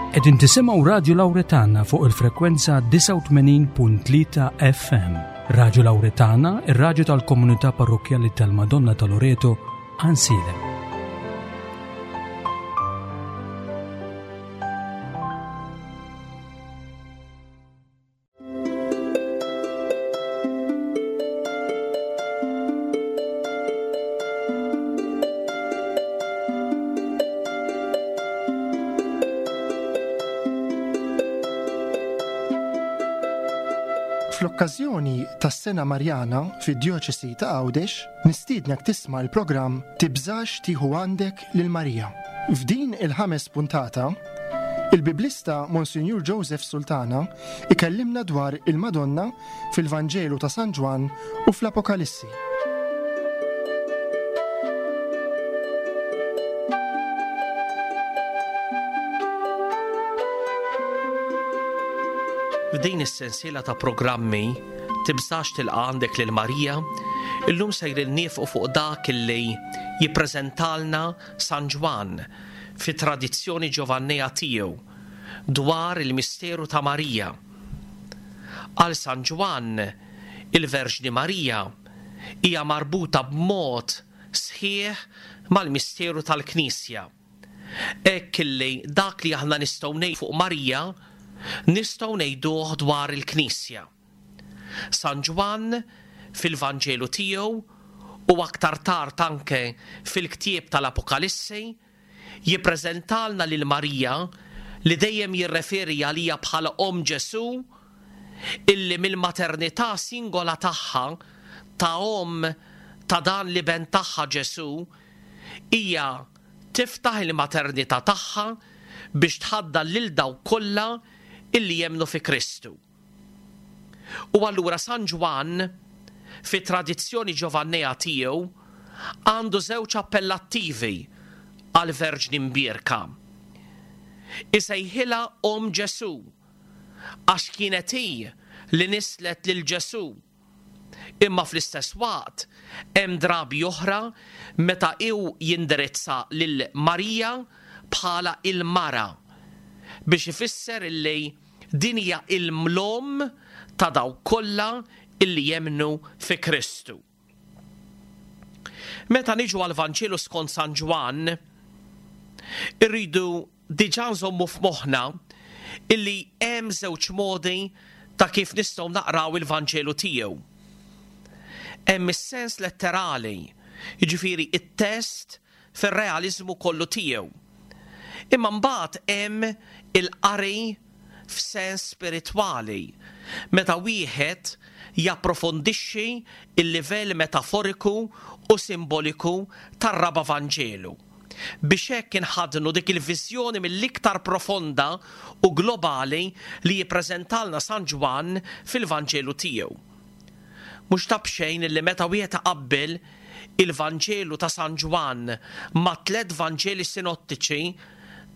Qegħdin tisimgħu Radju Lawretana fuq il-frekwenza 89.3 FM. Radju Lawretana, ir-radju tal-komunità parrokkjali tal-Madonna ta' Loreto, Ansilem. Fl-okkażjoni tas-Sena Marjana fid-Djoċesi ta' Għawdex, nistiednek tisma' l-programm Tibżax tieħu għandek lil Marija. F'din il-ħames puntata, il-Biblista Monsinjur Joseph Sultana ikellimna dwar il-Madonna fil-Vanġelu ta' San Ġwann u fl-Apokalissi. F'din is-sensiela ta' programmi Tibżax tilqa' għandek lil Marija, illum sejrin niefqu fuq dak illi jippreżentalna San Ġwann fit-tradizzjoni Ġovannea tiegħu dwar il-misteru ta' Marija. Għal San Ġwann, il-Verġni Marija hija marbuta b'mod sħiħ mal-misteru tal-Knisja. Hekk illi dak li aħna nistgħu ngħidu fuq Marija, nistgħu ngħiduh dwar il-Knisja. San Ġwann fil-Vanġelu tiegħu u aktar tard anke fil-ktieb tal-Apokalissi jippreżentalna lil Marija li dejjem jirreferi għaliha bħala Omm Ġesù illi mill-maternità singola tagħha ta' omm ta' dan l-iben tagħha Ġesù hija tiftaħ il-maternità tagħha biex tħaddan lil dawk kollha illi jemmnu fi Kristu. U allura San Ġwann, fit-tradizzjoni Ġovannea tiegħu, għandu żewġ appellattivi għall-Verġni Mbierka. Isejħilha Omm Ġesù, għax kienet hi li nisslet lil Ġesù. Imma fl-istess waqt hemm drabi oħra meta hu jindirizza lil Marija bħala il-mara, biex ifisser illi Din hija l-omm ta' dawk kollha illi jemmnu fi Kristu. Meta niġu għall-Vanġelu skont San Ġwann, irridu diġà nżommu f'moħħna illi hemm żewġ modi ta' kif nistgħu naqraw il-Vanġelu tiegħu. Hemm is-sens letterali, jiġifieri t-test fir-realiżmu kollu tiegħu. Imma mbagħad hemm il-qari f'sens spiritwali, meta wieħed japprofondixxi l-livell metaforiku u simboliku tar-Raba' Vanġelu, biex hekk inħaddnu dik il-viżjoni mill-iktar profonda u globali li jippreżentalna San Ġwann fil-Vanġelu tiegħu. Mhux ta' b'xejn li meta wieħed iqabbel il-Vanġelu ta' San Ġwann mat-tlett Vanġeli sinottiċi,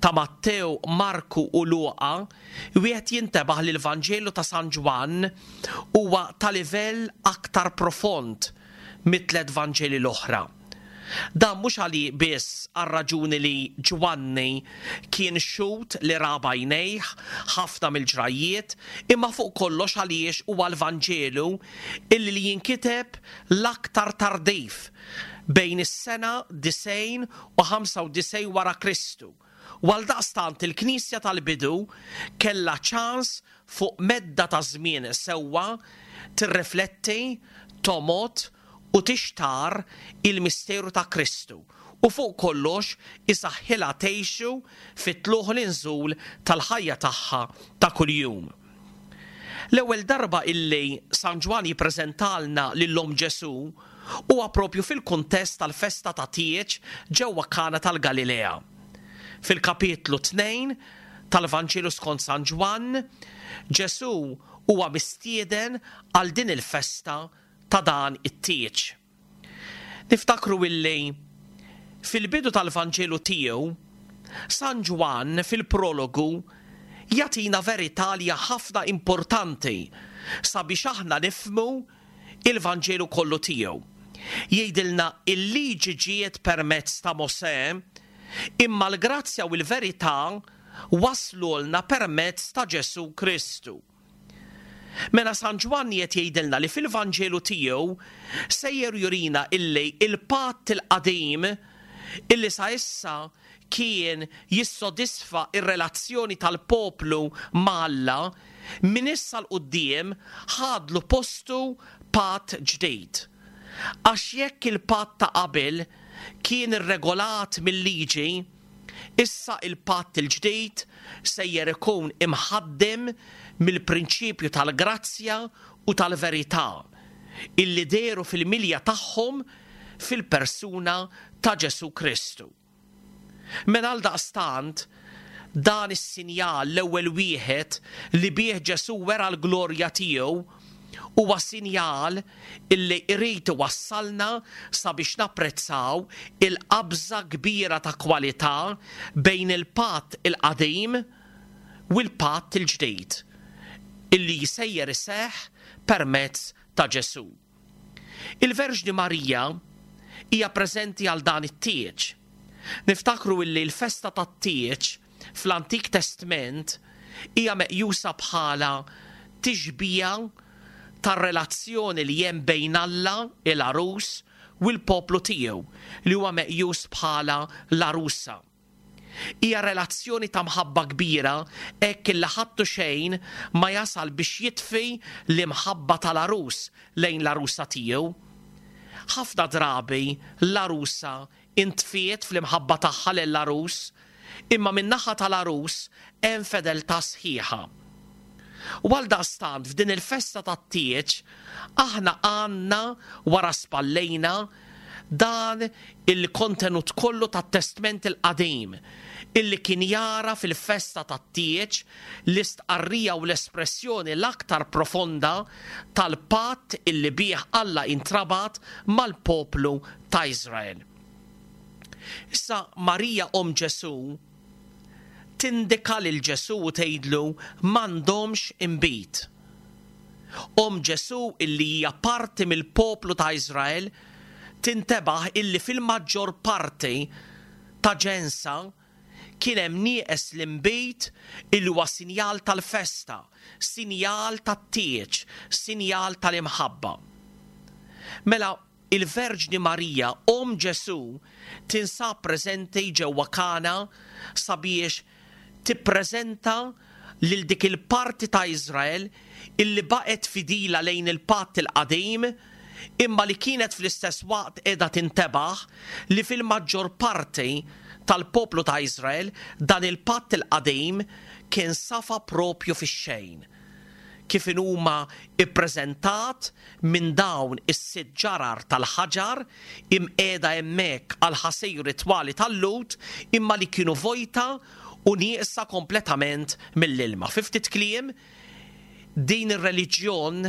ta' Mattew, Marku u Luqa, wieħed jintebaħ li l-Vanġelu ta' San Ġwann huwa ta' livell aktar profond mit-tlett Vanġeli l-oħra. Dan mhux għali biss għar-raġuni li Ġwanni kien xhud li ra b'għajnejh ħafna mill-ġrajjiet, imma fuq kollox għaliex huwa l-Vanġelu illi li jinkiteb l-aktar tardiv, bejn is-sena 90 u 95 wara Kristu, u għaldaqstant il-Knisja tal-bidu kellha ċans fuq medda ta' żmien sewwa tirrifletti, tomgħod u tixtarr il-misteru ta' Kristu u fuq kollox isaħħilha tgħixu fit-tlugħ u l-inżul tal-ħajja tagħha ta' kuljum. L-ewwel darba illi San Ġwann jippreżentalna lil Omm Ġesù huwa propju fil-kuntest tal-festa ta' tieġ ġewwa Kana tal-Galilea. Fil-kapitlu 2 tal-Vanġelu skont San Ġwann, Ġesù huwa mistieden għal din il-festa ta' dan it-tieġ. Niftakru illi fil-bidu tal-Vanġelu tiegħu, San Ġwann fil-prologu jagħtina verità li hija ħafna importanti sabiex aħna nifhmu il-Vanġelu kollu tiegħu. Jgħidilna il-liġi ġiet permezz ta' Mosè, imma l-grazzja u l-verità. waslulna permezz ta' Ġesù Kristu. Mela San Ġwanni qed jgħidilna li fil-Vanġelu tiegħu sejjer jurina illi il-patt il-qadim illi sa issa kien jissodisfa r-relazzjoni tal-poplu ma' Alla, minn issa 'l quddiem ħadlu postu patt ġdid. Għax jekk il-patt ta' qabel kien irregolat mil-liġi, Issa il-patt il-ġdid sejjer ikun imħaddem mill-prinċipju tal-grazzja u tal-verità, illi dehru fil-milja tagħhom fil-persuna ta' Ġesù Kristu. Mela għaldaqstant, dan is-sinjal, l-ewwel wieħed li bih Ġesù wera l-glorja tiegħu, huwa sinjal illi jrid iwassalna sabiex napprezzaw il-qabża kbira ta' kwalità bejn il-Patt il-Qadim u l-Patt il-Ġdid, illi sejjer iseħħ permezz ta' Ġesù. Il-Verġni Marija hija preżenti għal dan it-tieġ. Niftakru illi l-festa tat-tieġ fl-Antik Testment hija meqjusa bħala tixbiha tar-relazzjoni li hemm bejn Alla, il-Għarus, u l-poplu tiegħu, li huwa meqjus bħala l-għarusa. Hija relazzjoni ta' mħabba kbira hekk illi ħadd u xejn ma jasal biex jitfi l-imħabba tal-għarus lejn l-għarusa tiegħu. Ħafna drabi l-għarusa intfiet fl-imħabba tagħha lill-għarus, imma min-naħa tal-għarus hemm fedeltà sħiħa. U għaldaqstant f'din il-festa tat-tieġ aħna għandna wara spallejna dan il-kontenut kollu tat-Testment il-Qadim illi kien jara fil-festa tat-tieġ l-istqarrija u l-espressjoni l-aktar profonda tal-patt illi bih Alla intrabat mal-poplu ta' Iżrael. Issa Marija omm Ġesù tindika lil Ġesù u tgħidlu m'għandhomx inbid. Omm Ġesù illi hija parti mill-poplu ta' Iżrael tintebaħ illi fil-maġġor parti ta' ġensha kien hemm nieqes l-inbid illi huwa sinjal tal-festa, sinjal tat-tieġ, sinjal tal-imħabba. Mela il-Verġni Marija, Omm Ġesù, tinsab preżenti ġewwa Kana sabiex tippreżenta lil dik il-parti ta' Iżrael illi baqgħet fidila lejn il-Patt il-Qadim imma li kienet fl-istess waqt qiegħda tintebaħ li fil-maġġor parti tal-poplu ta' Iżrael dan il-Patt il-Qadim kien safa proprju fix-xejn, kif inhuma ppreżentat minn dawn is-sitt ġarar tal-ħaġar imqiegħda hemmhekk għall-ħasir ritwali tal-Lhud imma li kienu vojta u nieqsa kompletament mill-ilma. Fi ftit kliem, din ir-reliġjon,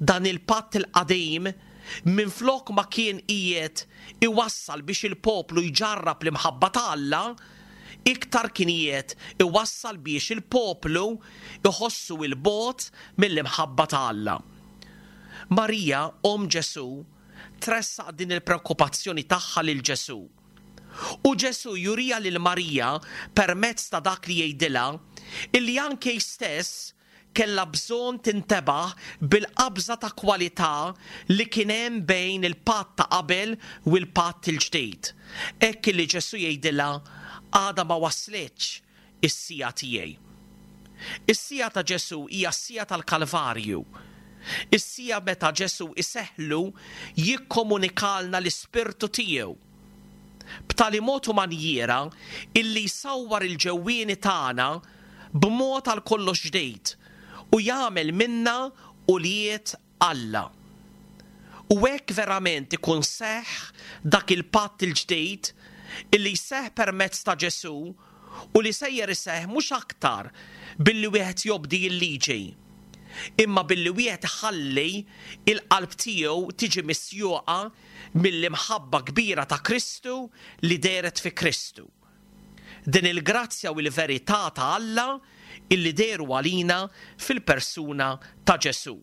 dan il-patt il-qadim, minflok ma kien qiegħed iwassal biex il-poplu jġarrab l-imħabba ta' Alla, iktar kien qiegħed iwassal biex il-poplu jħossu 'l bogħod mill-imħabba ta' Alla. Marija, omm Ġesù, tressaq din il-preokkupazzjoni tagħha lil Ġesù. U Ġesù juriha lil Marija permezz ta' dak li jgħidilha, illi anke hi stess kellha bżonn tintebaħ bil-qabża ta' kwalità li kien hemm bejn il-patt ta' qabel u l-patt il-ġdid. Hekk illi Ġesù jgħidilha, Għadha ma waslitx is-siegħa tiegħi. Is-siegħa ta' Ġesù hija s-siegħa tal-Kalvarju. Is-siegħa meta Ġesù iseħħlu jikkomunikalna l-Ispirtu tiegħu. B'tali mod u manjiera illi jsawwar il-ġewwieni tagħna b'mod għal kollox ġdid u jagħmel minna ulied Alla. U hekk verament ikun seħħ dak il-patt il-ġdid illi jseħħ permezz ta' Ġesù u li sejjer iseħħ mhux aktar billi wieħed jobdi l-liġi, imma billi wieħed iħalli l-qalb tiegħu tiġi misjuqa mill-imħabba kbira ta' Kristu li dehret fi Kristu. Din il-grazzja u l-verità ta' Alla illi dehru għalina fil-persuna ta' Ġesù.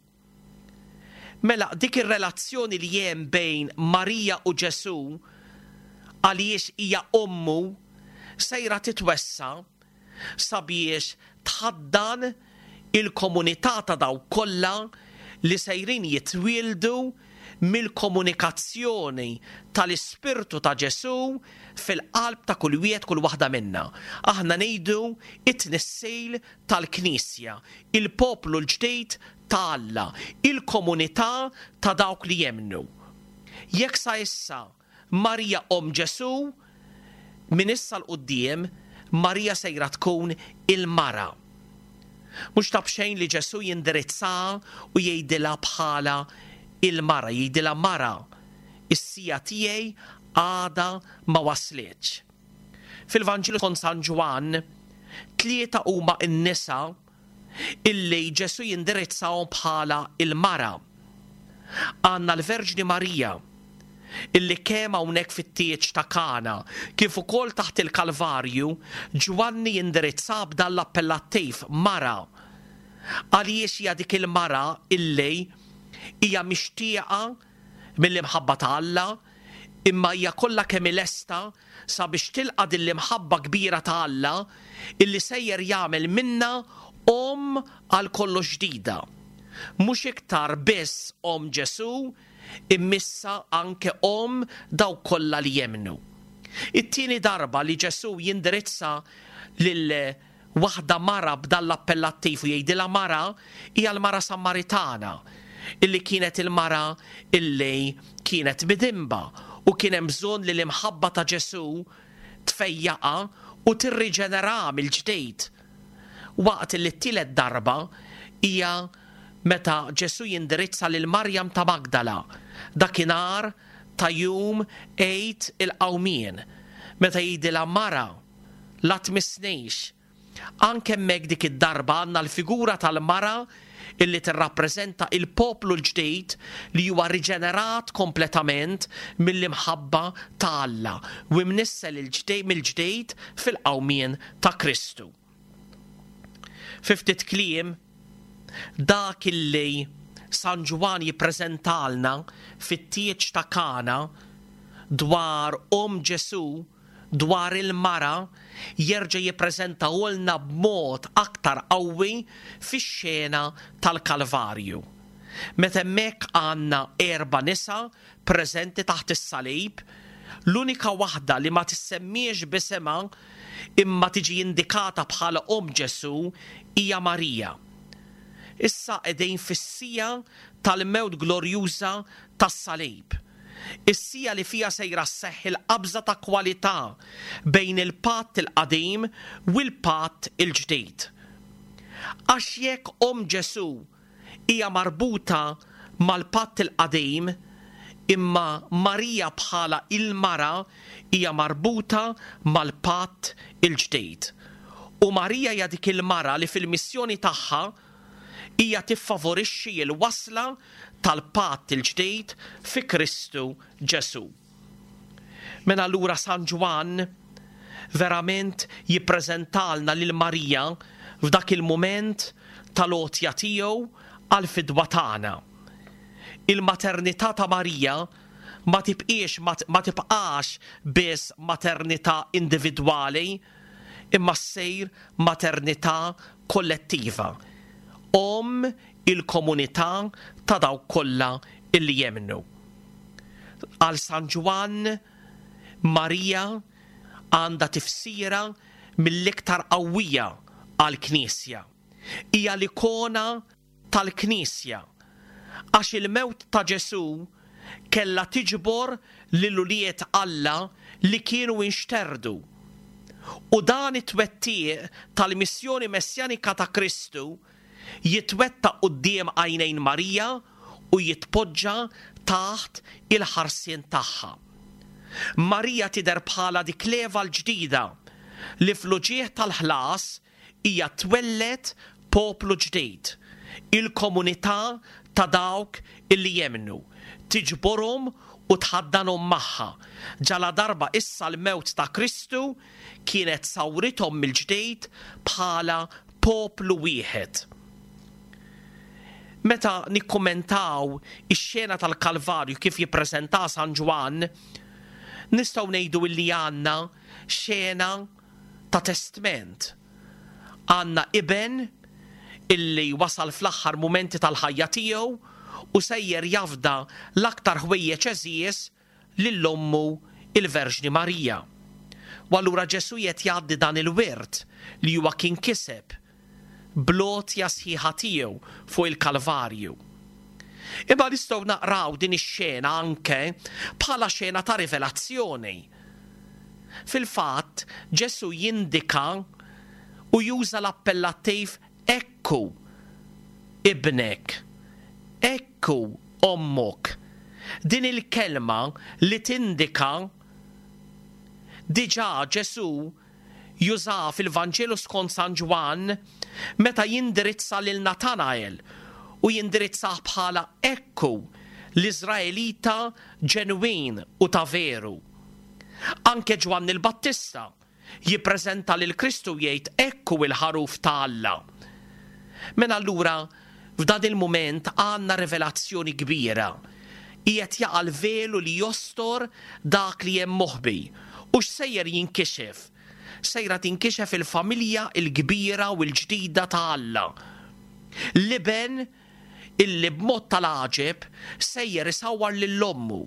Mela dik ir-relazzjoni li hemm bejn Marija u Ġesù għaliex hija ommu sejra titwessa' sabiex tħaddan il-komunità ta' dawk kollha li sejrin jitwieldu mill-komunikazzjoni tal-Ispirtu ta' Ġesù fil-qalb ta' kull wieħed kull waħda minna. Aħna ngħidu it-tnissil tal-Knisja, il-poplu l-ġdid ta' Alla, il-komunità ta' dawk li jemmnu. Jekk sa issa Marija omm Ġesù, minn issa 'l quddiem Marija sejra tkun il-mara. Mhux ta' b'xejn li Ġesù jindirizzaha u jgħidilha bħala il-mara, jgħidilha mara, is-siegħa tiegħi għadha ma waslitx. Fil-Vanġelu skont San Ġwann, tlieta huma n-nisa illi Ġesù jindirizzahom bħala il-mara. Għandna l-Verġni Marija, illi kemm hawnhekk fit-tieġ ta' Kana, kif ukoll taħt il-Kalvarju, Ġwanni jindirizzaha b'dan l-appellattiv, mara. Għaliex hija dik il-mara illi hija mixtieqa mill-imħabba ta' Alla, imma hija kollha kemm hi lesta sabiex tilqa' din l-imħabba kbira ta' Alla illi sejjer jagħmel minnha omm għal kollox ġdida. Mhux iktar biss omm Ġesù, imma issa anke omm dawk kollha li jemmnu. It-tieni darba li Ġesù jindirizza lil waħda mara b'dan l-appellattiv u jgħidilha mara hija l-mara Sammaritana, illi kienet il-mara illi kienet midinba u kien hemm bżonn li l-imħabba ta' Ġesù tfejjaqha u tirriġeneraha mill-ġdid. Waqt illi t-tielet darba hija meta Ġesù jindirizza lil Marjam ta' Magdala dakinhar ta' jum Għid il-Qawmien, meta jgħidilha mara, La tmissnix. Anke hemmhekk dik id-darba għandna l-figura tal-mara illi tirrappreżenta il-poplu l-ġdid li huwa riġenerat kompletament mill-imħabba ta' Alla u imnissel mill-ġdid fil-qawmien ta' Kristu. Fi ftit kliem, dak illi San Ġwann jippreżentalna fit-tieġ ta' Kana dwar omm Ġesù dwar il-mara jerġa' jippreżentahulna b'mod aktar qawwi fix-xena tal-Kalvarju. Meta hemmhekk għandna erba' nisa preżenti taħt is-salib, l-unika waħda li ma tissemmiex b'isimha imma tiġi indikata bħala omm Ġesù hija Marija. Issa qegħdin fis-siegħa tal-mewt glorjuża tas-salib. Is-siegħa li fiha sejra sseħħ il-qabża ta' kwalità bejn il-Patt il-Qadim u l-Patt il-Ġdid. Għax jekk omm Ġesù hija marbuta mal-Patt il-Qadim, imma Marija bħala il-mara hija marbuta mal-Patt il-Ġdid. U Marija hija dik il-mara li fil-missjoni tagħha hija tiffavorixxi l-wasla tal-Patt il-Ġdid fi Kristu Ġesù. Mela allura San Ġwann verament jippreżentalna lil Marija f'dak il-mument tal-għotja tiegħu għall-fidwa tagħna. Il-maternità ta' Marija ma tibqiex ma tibqax biss maternità individwali, imma ssir maternità kollettiva, omm il-komunità ta' dawk kollha illi jemmnu. Għal San Ġwann, Marija għandha tifsira mill-iktar qawwija għall-Knisja. Hija l-ikona tal-Knisja, għax il-mewt ta' Ġesù kellha tiġbor lil ulied Alla li kienu inxterdu. U dan it-twettiq tal-missjoni messjanika ta' Kristu jitwettaq quddiem għajnejn Marija u jitpoġġa taħt il-ħarsien tagħha. Marija tidher bħala dik l-Eva l-ġdida li fl-uġigħ tal-ħlas hija twelled poplu ġdid, il-komunità ta' dawk illi jemmnu, tiġborhom u tħaddanhom magħha, ġaladarba issa l-mewt ta' Kristu kienet sawrithom mill-ġdid bħala poplu wieħed. Meta nikkummentaw ix-xena tal-Kalvarju kif jippreżentaha San Ġwann, nistgħu ngħidu illi għandna xena ta' testment. Għandna iben illi wasal fl-aħħar mumenti tal-ħajja tiegħu u sejjer jafda l-aktar ħwejjeġ għeżież lil ommu il-Verġni Marija. U allura Ġesù qed jgħaddi dan il-wirt li huwa kien kiseb bl-għotja sħiħa tiegħu fuq il-Kalvarju. Imma nistgħu naqraw din ix-xena anke bħala xena ta' rivelazzjoni. Fil-fatt, Ġesù jindika u juża l-appellattiv Ekku ibnek, ekku ommok. Din il-kelma li tindika diġà Ġesù jużaha fil-Vanġelu skont San Ġwann meta jindirizza lil Natanael u jindirizzah bħala ekku l-Iżraelita ġenwin u ta' veru. Anke Ġwanni l-Battista jippreżenta lil Kristu u jgħid ekku l-ħaruf ta' Alla. Mela allura f'dan il-mument għandna rivelazzjoni kbira. Qiegħed jaqa' l-velu li jostor dak li hemm moħbi. U x'sejjer jinkixef? Sejra tinkixef il-familja l-kbira u l-ġdida ta' Alla. L-Iben illi b'mod tal-għaġeb sejjer isawwar lil ommu.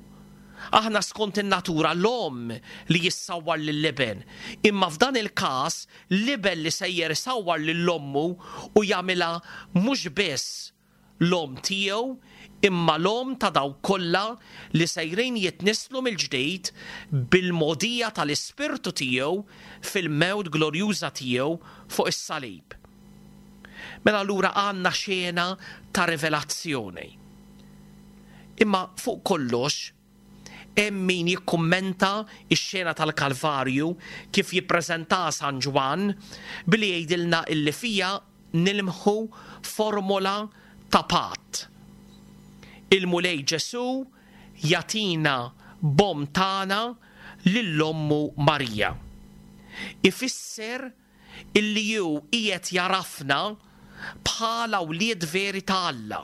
Aħna skont in-natura l-omm li jissawwar lill-iben, imma f'dan il-każ l-iben li sejjer isawwar lil ommu u jagħmilha mhux biss l-omm tiegħu imma l-omm ta' dawk kollha li sejrin jitnisslu mill-ġdid bil-mogħdija tal-Ispirtu tiegħu fil-mewt glorjuża tiegħu fuq is-salib. Mela allura għandna xena ta' rivelazzjoni. Imma fuq kollox, hemm min jikkummenta x-xena tal-Kalvarju kif jippreżentaha San Ġwann billi jgħidilna illi fiha nilmħu formola ta' patt. Il-Mulej Ġesù jagħtina b'omm tagħna lil ommu Marija. Ifisser illi hu qiegħed jagħrafna bħala wlied veri ta' Alla.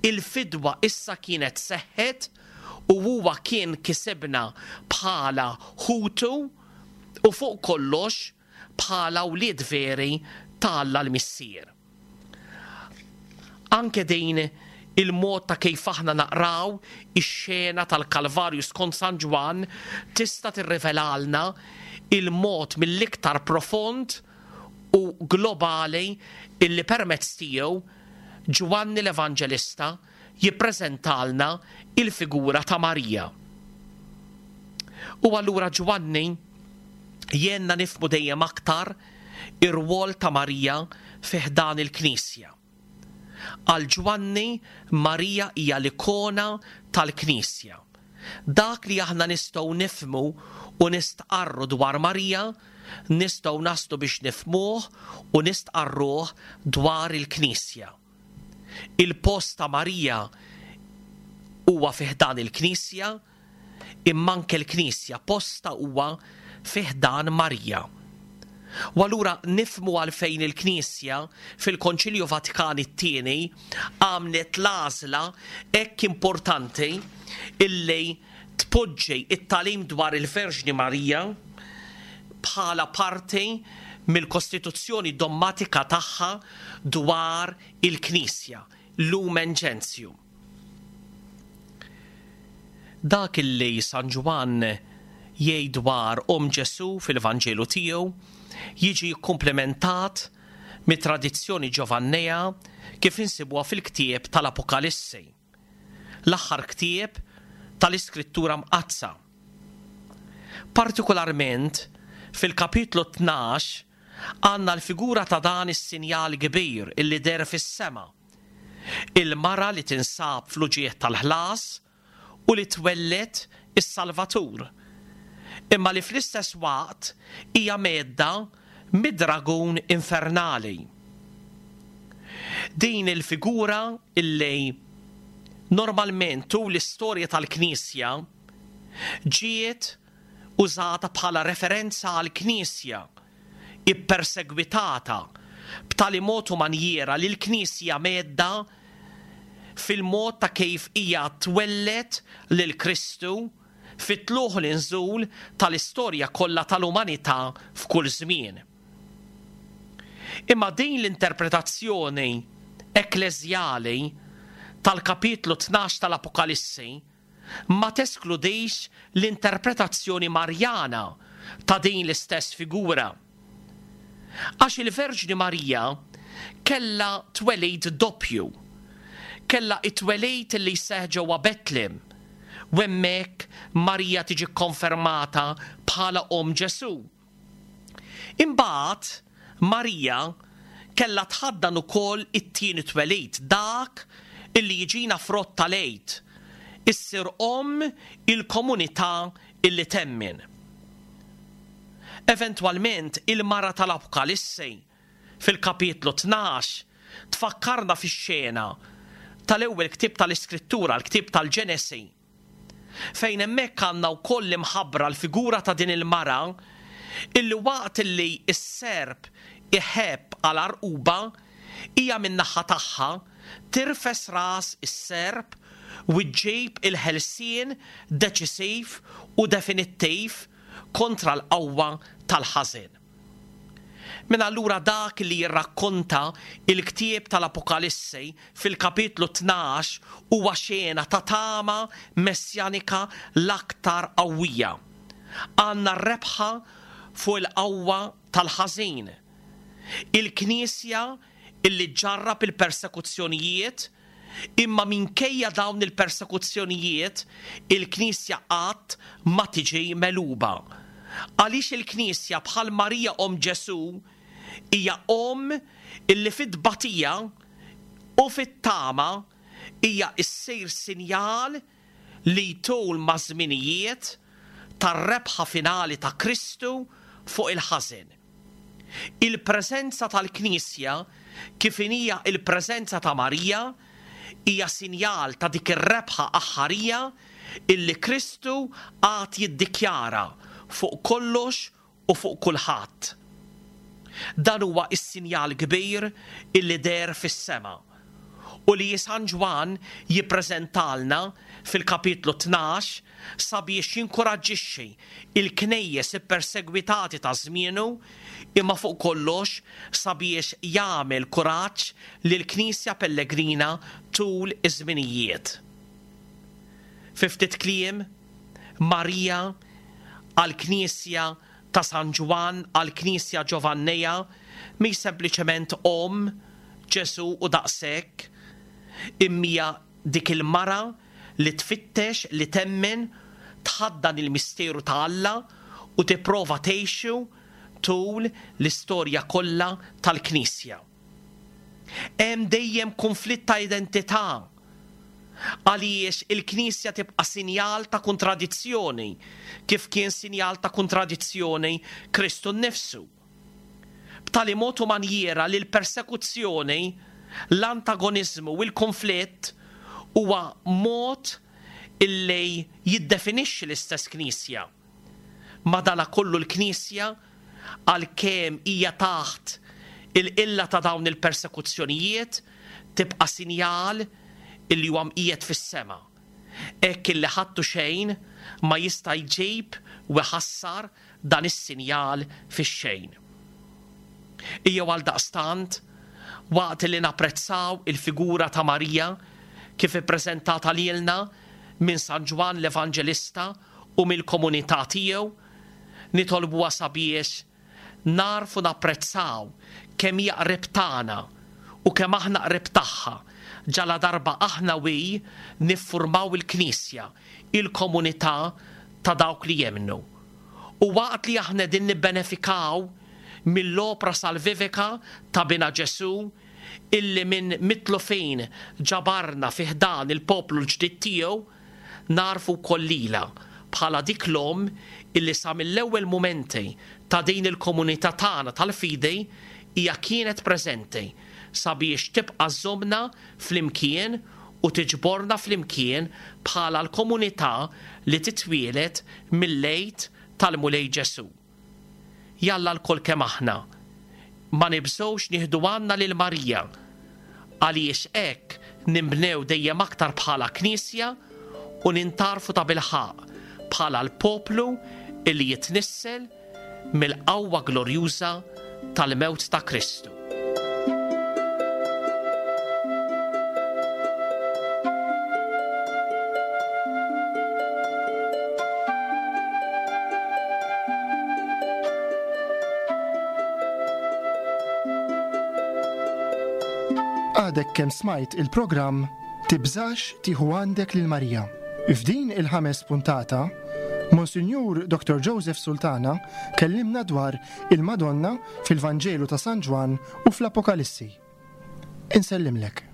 Il-fidwa issa kienet seħħet u huwa kien kisibna bħala ħutu u fuq kollox bħala wlied veri ta' Alla l-Missier. Anke din il-mod ta' kif aħna naqraw ix-xena tal-Kalvarju skont San Ġwann tista' tirrivelalna il-mod mill-iktar profond u globali illi permezz tiegħu Ġwanni l-Evanġelista jippreżentalna il-figura ta' Marija. U allura Ġwanni jgħinna nifhmu dejjem aktar ir-rwol ta' Marija fi ħdan il-Knisja. Għal Ġwanni, Marija hija l-ikona tal-Knisja. Dak li aħna nistgħu nifhmu u nistqarru dwar Marija, nistgħu naslu biex nifhmuh u nistqarruh dwar il-Knisja. Il-post ta' Marija huwa fi ħdan il-Knisja, imma anke l-Knisja postha huwa fi ħdan Marija. U allura nifhmu għalfejn il-Knisja fil-Konċilju Vatikan it-Tieni għamlet l-għażla hekk importanti illi tpoġġi t-tagħlim dwar il-Verġni Marija bħala parti mill-kostituzzjoni dommatika tagħha dwar il-Knisja, Lumen Gentium. Dak illi San Ġwann jgħid dwar omm Ġesù fil-Vanġelu tiegħu jiġi kkumplementat mit-tradizzjoni Ġovannea kif insibuha fil-ktieb tal-Apokalissi, l-aħħar ktieb tal-Iskrittura Mqaddsa. Partikularment fil-kapitlu 12 għandna l-figura ta' dan is-sinjal kbir illi deher fis-sema, Il-mara li tinsab fl-uġigħ tal-ħlas u li twelled is-Salvatur, imma li fl-istess waqt hija mhedda mid-dragun infernali. Din il-figura illi normalment tul l-istorja tal-Knisja ġiet użata bħala referenza għall-Knisja ippersegwitata b'tali mod u manjiera li l-Knisja mhedda fil-mod ta' kif hija twelled lil Kristu fit-tlugħ u l-inżul tal-istorja kollha tal-umanità f'kull żmien. Imma din l-interpretazzjoni ekkleżjali tal-kapitlu 12 tal-Apokalissi ma teskludix l-interpretazzjoni Marjana ta' din l-istess figura. Għax il-Verġni Marija kellha twelid doppju. Kellha t-twelid li jseħħ ġewwa Betlem, u hemmhekk Marija tiġi kkonfermata bħala omm Ġesù. Imbagħad Marija kellha tħaddan ukoll it-tieni twelid, dak illi jiġina frott tal-Għid, issir omm il-komunità illi temmen. Eventwalment il-mara tal-Apokalissi fil-kapitlu 12 tfakkarna fix-xena tal-ewwel ktieb tal-Iskrittura, l-ktieb tal-Ġenesi. Fejn hemmhekk għandna wkoll imħabbra l-figura ta' din il-mara illi waqt illi s-serp iħebb għal għarquba, hija min-naħa tagħha tirfes ras is-serp u ġġib il-ħelsien deċisiv u definittiv kontra l-qawwa tal-ħażen. Mela allura dak li jirrakkonta l-ktieb tal-Apokalissi fil-kapitlu 12 huwa xena ta' tama messjanika l-aktar qawwija. Għandna r-rebħa fuq il-qawwa tal-ħażin. Il-Knisja illi ġġarrab il-persekuzzjonijiet, imma minkejja dawn il-persekuzzjonijiet, il-Knisja qatt ma tiġi megħluba. Għaliex il-Knisja bħal Marija omm Ġesù hija omm illi fit-tbatija u fit-tama hija ssir sinjal li jtul maż-żminijiet tar-rebħa finali ta' Kristu fuq il-ħażen. Il-preżenza tal-Knisja, kif inhija l-preżenza ta' Marija, hija sinjal ta' dik ir-rebħa aħħarija illi Kristu għad jiddikjara fuq kollox u fuq kulħadd. Dan huwa s-sinjal kbir illi deher fis-sema u li San Ġwann jippreżentalna fil-kapitlu 12 sabiex jinkuraġġixxi l-knejjes ippersegwitati ta' żmienu imma fuq kollox sabiex jagħmel kuraġġ lill-Knisja pellegrina tul iż-żminijiet. Fi ftit kliem, Marija għall-Knisja ta' San Ġwann, għall-Knisja Ġovanneja, mhix sempliċement omm Ġesù u daqshekk, imma hija dik il-mara li tfittex li temmen, tħaddan il-misteru ta' Alla u tipprova tgħixu tul l-istorja kollha tal-Knisja. Hemm dejjem kunflitt ta' identità għaliex il-Knisja tibqa' sinjal ta' kontradizzjoni, kif kien sinjal ta' kontradizzjoni Kristu nnifsu. B'tali mod u manjiera li l-persekuzzjoni, l-antagoniżmu u l-kunflitt huwa mod illi jiddefinixxi l-istess Knisja. Madanakollu l-Knisja, għalkemm hija taħt il-qilla ta' dawn il-persekuzzjonijiet, tibqa' sinjal illi huwa mqiegħed fis-sema, hekk illi ħadd u xejn ma jista' jġib u jħassar dan is-sinjal fix-xejn. Ejjew għaldaqstant, waqt li napprezzaw il-figura ta' Marija kif ippreżentata lilna minn San Ġwann l-Evanġelista u mill-komunità tiegħu, nitolbuha sabiex nagħrfu napprezzaw kemm hija qrib tagħna u kemm aħna qrib tagħha, ġaladarba aħna u hi niffurmaw il-Knisja, il-komunità ta' dawk li jemmnu. U waqt li aħna qegħdin nibbenefikaw mill-opra salvivika ta' Binha Ġesù, illi minn mitlufin ġabarna fi ħdan il-poplu l-ġdid tiegħu, Nagħrfu wkoll lilha bħala dik l-Omm illi sa mill-ewwel mumenti ta' din il-komunità tagħna tal-fidi hija kienet preżenti sabiex tibqa' żżommna flimkien u tiġborna flimkien bħala l-komunità li titwieled mill-Għid tal-Mulej Ġesù. Jalla lkoll kemm aħna ma nibżgħux nieħdu għandna lil Marija, għaliex hekk ninbnew dejjem aktar bħala Knisja u nintgħarfu tabilħaqq bħala l-poplu li jitnissel mill-qawwa glorjuża tal-mewt ta' Kristu. Għadek kemm smajt il-programm Tibżax tieħu għandek lil Marija. F'din il-ħames puntata, Monsinjur Dr. Joseph Sultana kellimna dwar il-Madonna fil-Vanġelu ta' San Ġwann u fl-Apokalissi. Insellimlek.